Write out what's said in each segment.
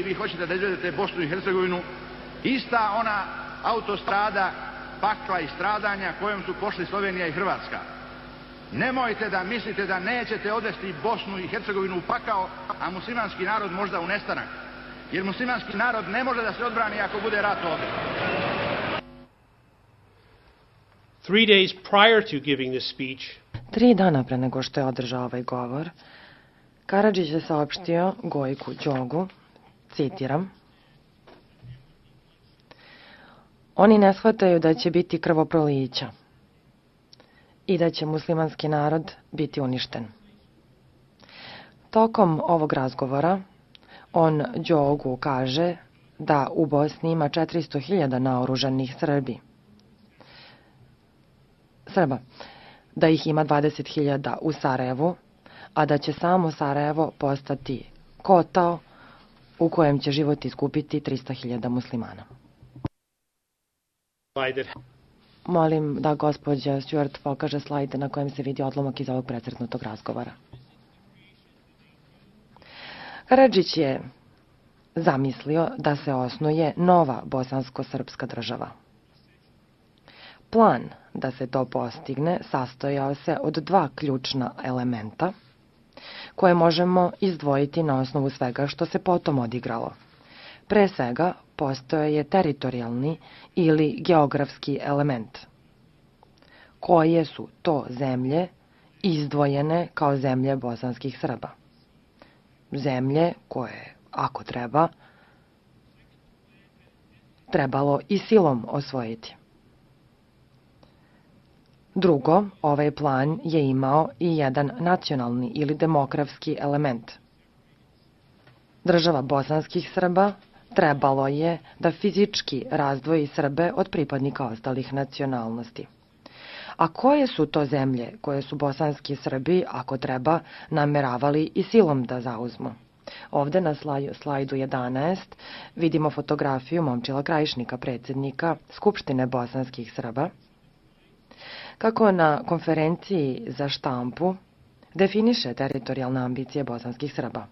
vi hoćete da izvedete Bosnu i Hercegovinu ista ona autostrada pakla i stradanja kojom su pošli Slovenija i Hrvatska. Nemojte da mislite da nećete odvesti Bosnu i Hercegovinu u pakao, a muslimanski narod možda u nestanak. Jer muslimanski narod ne može da se odbrani ako bude rat ovdje. 3 days prior to giving this speech, 3 dana pre nego što je održao ovaj govor, Karadžić je saopštio Gojku Đogu, citiram: "Oni ne shvataju da će biti krvoprolića i da će muslimanski narod biti uništen." Tokom ovog razgovora on Đogu kaže da u Bosni ima 400.000 naoružanih Srba, da ih ima 20.000 u Sarajevu, a da će samo Sarajevo postati kotao u kojem će život iskupiti 300.000 muslimana. Molim da gospođa Stewart pokaže slajd na kojem se vidi odlomak iz ovog precrtnutog razgovora. Karadžić je zamislio da se osnuje nova bosansko-srpska država. Plan da se to postigne sastojao se od 2 ključna elementa koje možemo izdvojiti na osnovu svega što se potom odigralo. Pre svega, postojao je teritorijalni ili geografski element. Koje su to zemlje izdvojene kao zemlje bosanskih Srba? Zemlje koje, ako treba, trebalo i silom osvojiti. Drugo, ovaj plan je imao i jedan nacionalni ili demografski element. Država bosanskih Srba trebalo je da fizički razdvoji Srbe od pripadnika ostalih nacionalnosti. A koje su to zemlje koje su bosanski Srbi, ako treba, nameravali i silom da zauzmu? Ovde na slajdu 11 vidimo fotografiju Momčila Krajišnika, predsjednika Skupštine bosanskih Srba, kako na konferenciji za štampu definiše teritorijalne ambicije bosanskih Srba.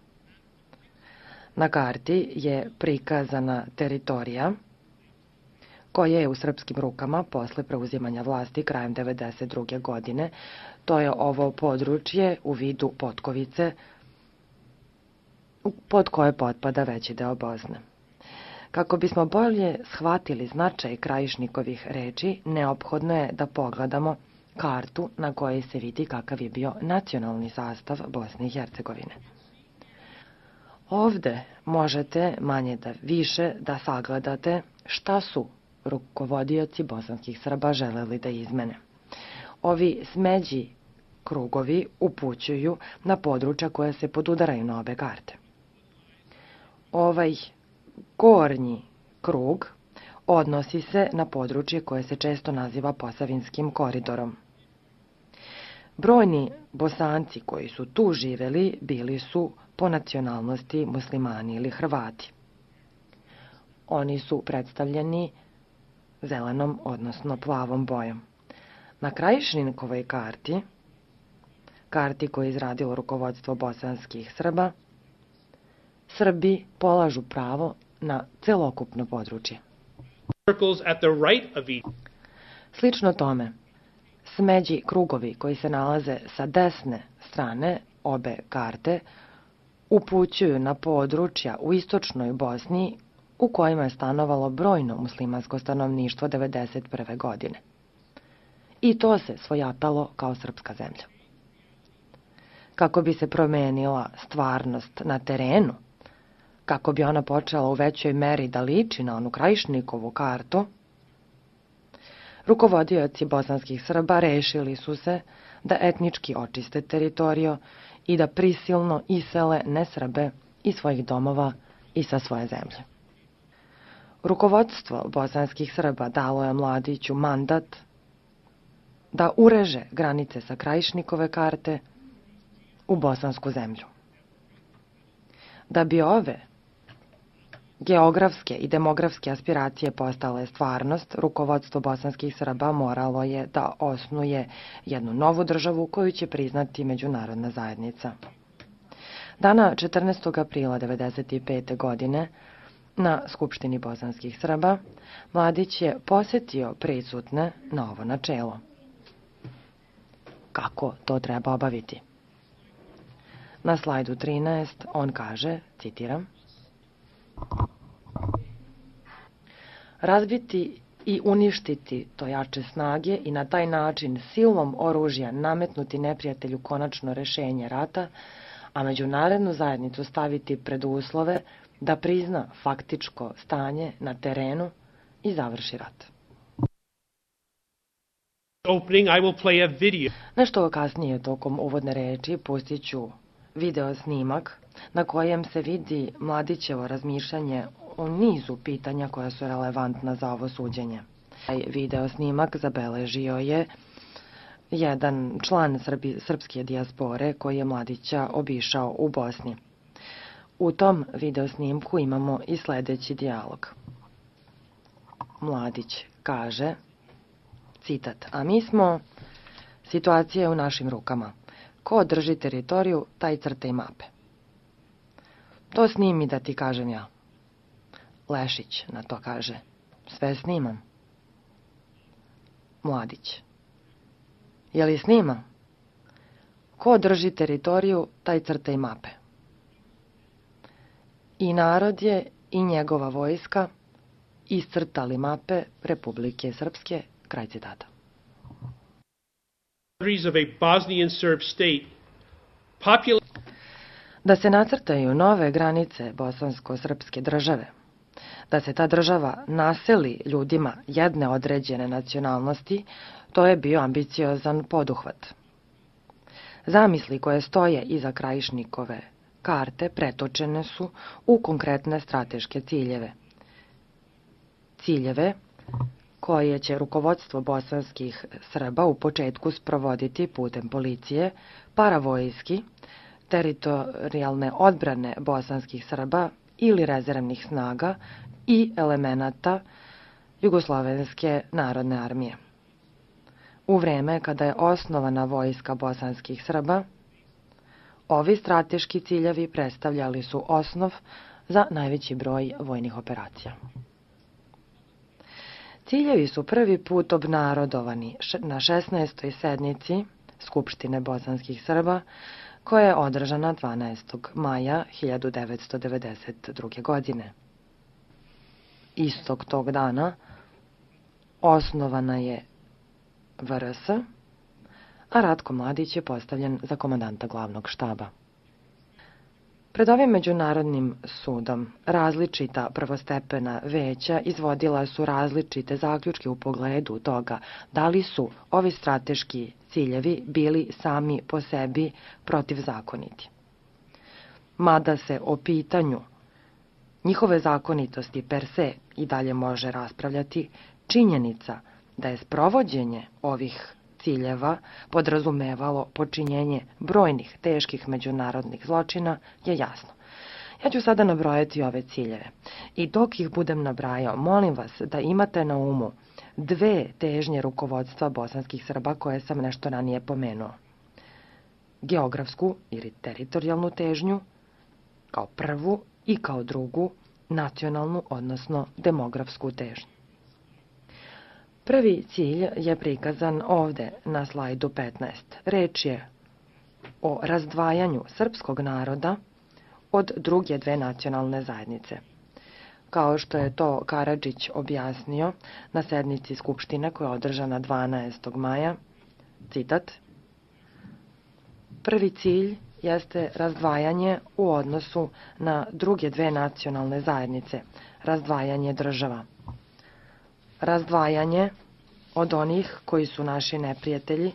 Na karti je prikazana teritorija koja je u srpskim rukama posle preuzimanja vlasti krajem 1992. godine. To je ovo područje u vidu Potkovice, pod koje potpada veći deo Bosne. Kako bismo bolje shvatili značaj Krajišnikovih reči, neophodno je da pogledamo kartu na kojoj se vidi kakav je bio nacionalni sastav Bosne i Hercegovine. Ovde možete manje da više da sagledate šta su rukovodioci bosanskih Srba želeli da izmene. Ovi smeđi krugovi upućuju na područja koja se podudaraju na obe karte. Ovaj gornji krug odnosi se na područje koje se često naziva Posavinskim koridorom. Brojni Bosanci koji su tu živeli bili su po nacionalnosti muslimani ili Hrvati. Oni su predstavljeni zelenom, odnosno plavom bojom. Na Krajišnikovoj karti koju je izradilo rukovodstvo bosanskih Srba, Srbi polažu pravo na celokupno područje. Slično tome, smeđi krugovi koji se nalaze sa desne strane obe karte upućuju na područja u istočnoj Bosni u kojima je stanovalo brojno muslimansko stanovništvo 1991. godine. I to se svojatalo kao srpska zemlja. Kako bi se promenila stvarnost na terenu, kako bi ona počela u većoj meri da liči na onu Krajišnikovu kartu, rukovodioci bosanskih Srba rešili su se da etnički očiste teritoriju i da prisilno isele nesrbe iz svojih domova i sa svoje zemlje. Rukovodstvo bosanskih Srba dalo je Mladiću mandat da ureže granice sa Krajišnikove karte u bosansku zemlju. Da bi ove geografske i demografske aspiracije postale stvarnost, rukovodstvo bosanskih Srba moralo je da osnuje jednu novu državu koju će priznati međunarodna zajednica. Dana 14. aprila 1995. godine na Skupštini bosanskih Srba Mladić je posjetio prisutne na ovo načelo. Kako to treba obaviti? Na slajdu 13 on kaže, citiram, razbiti i uništiti to jače snage i na taj način silom oružja nametnuti neprijatelju konačno rešenje rata, a međunarodnu zajednicu staviti pred uslove da prizna faktičko stanje na terenu i završi rat. Opening, I will play a video. Nešto kasnije tokom uvodne reči pustit ću video snimak na kojem se vidi Mladićevo razmišljanje o nizu pitanja koja su relevantna za ovo suđenje. Taj video snimak zabeležio je jedan član srpske dijaspore koji je Mladića obišao u Bosni. U tom video snimku imamo i sledeći dijalog. Mladić kaže, citat, a mi smo, situacija je u našim rukama. Ko drži teritoriju, taj crta i mape. To snimi da ti kažem ja. Lešić na to kaže, sve snimam. Mladić, je li snima? Ko drži teritoriju, taj crta i mape. I narod je i njegova vojska iscrtali mape Republike Srpske, kraj citata. Of a Bosnian Serb state, da se nacrtaju nove granice bosansko-srpske države, da se ta država naseli ljudima jedne određene nacionalnosti, to je bio ambiciozan poduhvat. Zamisli koje stoje iza Krajišnikove karte pretočene su u konkretne strateške ciljeve. Ciljeve koje će rukovodstvo bosanskih Srba u početku sprovoditi putem policije, paravojski, teritorijalne odbrane bosanskih Srba ili rezervnih snaga i elemenata Jugoslovenske narodne armije. U vreme kada je osnovana vojska bosanskih Srba, ovi strateški ciljevi predstavljali su osnov za najveći broj vojnih operacija. Ciljevi su prvi put obnarodovani na 16. sednici Skupštine bosanskih Srba, koja je održana 12. maja 1992. godine. Istog tog dana osnovana je VRS, a Ratko Mladić je postavljen za komandanta glavnog štaba. Pred ovim međunarodnim sudom različita prvostepena veća izvodila su različite zaključke u pogledu toga da li su ovi strateški ciljevi bili sami po sebi protivzakoniti. Mada se o pitanju njihove zakonitosti per se i dalje može raspravljati, činjenica da je sprovođenje ovih ciljeva podrazumevalo počinjenje brojnih teških međunarodnih zločina je jasno. Ja ću sada nabrojati ove ciljeve i dok ih budem nabrajao, molim vas da imate na umu dve težnje rukovodstva bosanskih Srba koje sam nešto ranije pomenuo. Geografsku ili teritorijalnu težnju kao prvu i kao drugu nacionalnu, odnosno demografsku težnju. Prvi cilj je prikazan ovde na slajdu 15. Reč je o razdvajanju srpskog naroda od druge dve nacionalne zajednice. Kao što je to Karadžić objasnio na sednici Skupštine koja je održana 12. maja, citat, prvi cilj jeste razdvajanje u odnosu na druge dve nacionalne zajednice, razdvajanje država. Razdvajanje od onih koji su naši neprijatelji,